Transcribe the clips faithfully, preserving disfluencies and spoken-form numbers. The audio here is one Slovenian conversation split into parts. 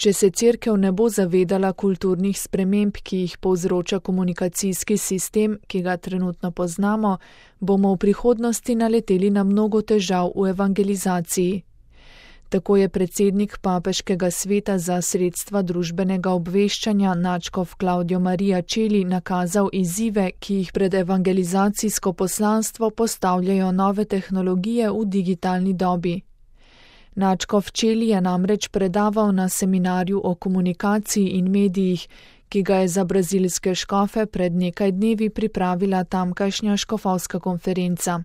Če se cerkev ne bo zavedala kulturnih sprememb, ki jih povzroča komunikacijski sistem, ki ga trenutno poznamo, bomo v prihodnosti naleteli na mnogo težav v evangelizaciji. Tako je predsednik Papeškega sveta za sredstva družbenega obveščanja nadškof Claudio Maria Celli nakazal izzive, ki jih pred evangelizacijsko poslanstvo postavljajo nove tehnologije v digitalni dobi. Nadškof Celli je namreč predaval na seminarju o komunikaciji in medijih, ki ga je za brazilske škofe pred nekaj dnevi pripravila tamkajšnja škofovska konferenca.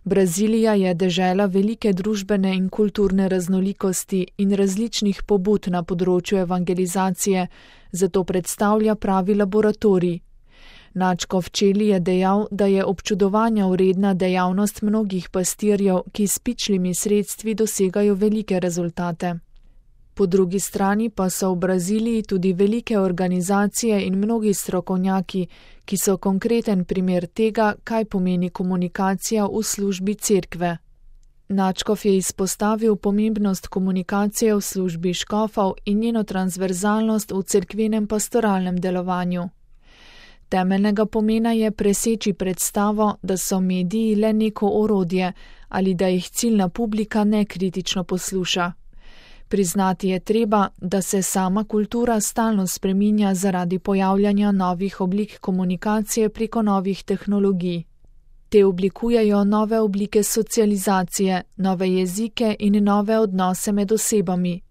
Brazilija je dežela velike družbene in kulturne raznolikosti in različnih pobud na področju evangelizacije, zato predstavlja pravi laboratorij. Nadškof Celli je dejal, da je občudovanja vredna dejavnost mnogih pastirjev, ki s pičlimi sredstvi dosegajo velike rezultate. Po drugi strani pa so v Braziliji tudi velike organizacije in mnogi strokovnjaki, ki so konkreten primer tega, kaj pomeni komunikacija v službi cerkve. Nadškof je izpostavil pomembnost komunikacije v službi škofov in njeno transverzalnost v cerkvenem pastoralnem delovanju. Temeljnega pomena je preseči predstavo, da so mediji le neko orodje ali da jih ciljna publika nekritično posluša. Priznati je treba, da se sama kultura stalno spreminja zaradi pojavljanja novih oblik komunikacije preko novih tehnologij. Te oblikujejo nove oblike socializacije, nove jezike in nove odnose med osebami.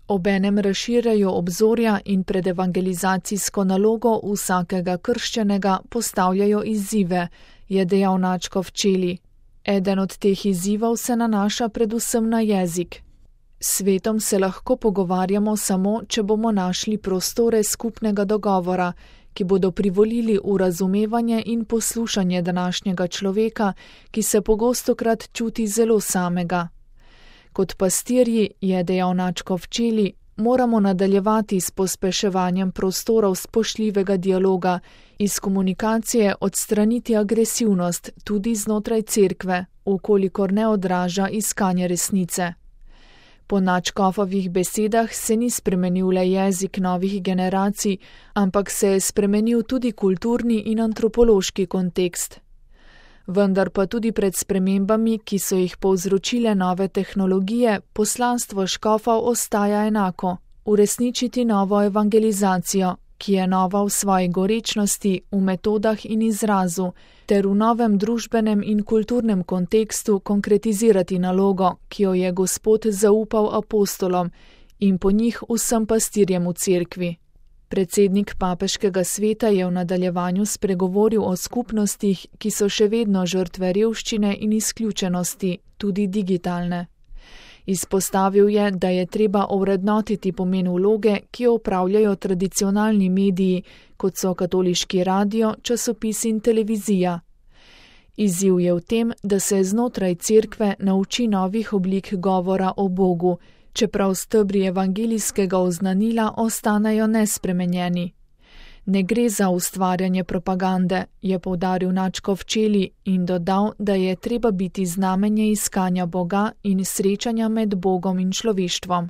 Obenem razširjajo obzorja in pred evangelizacijsko nalogo vsakega krščenega postavljajo izzive, je dejal nadškof Celli. Eden od teh izzivov se nanaša predvsem na jezik. S svetom se lahko pogovarjamo samo, če bomo našli prostore skupnega dogovora, ki bodo privolili v razumevanje in poslušanje današnjega človeka, ki se pogostokrat čuti zelo samega. Kot pastirji, je dejal nadškof Celli, moramo nadaljevati s pospeševanjem prostorov spoštljivega dialoga, iz komunikacije odstraniti agresivnost tudi znotraj cerkve, ukolikor ne odraža iskanje resnice. Po nadškofovih besedah se ni spremenil le jezik novih generacij, ampak se je spremenil tudi kulturni in antropološki kontekst. Vendar pa tudi pred spremembami, ki so jih povzročile nove tehnologije, poslanstvo škofov ostaja enako: uresničiti novo evangelizacijo, ki je nova v svoji gorečnosti, v metodah in izrazu, ter v novem družbenem in kulturnem kontekstu konkretizirati nalogo, ki jo je Gospod zaupal apostolom in po njih vsem pastirjem v cerkvi. Predsednik Papeškega sveta je v nadaljevanju spregovoril o skupnostih, ki so še vedno žrtve revščine in izključenosti, tudi digitalne. Izpostavil je, da je treba ovrednotiti pomen vloge, ki jo opravljajo tradicionalni mediji, kot so katoliški radio, časopis in televizija. Izziv je v tem, da se znotraj cerkve nauči novih oblik govora o Bogu, čeprav stebri evangelijskega oznanila ostanejo nespremenjeni. Ne gre za ustvarjanje propagande, je poudaril nadškof Celli in dodal, da je treba biti znamenje iskanja Boga in srečanja med Bogom in človeštvom.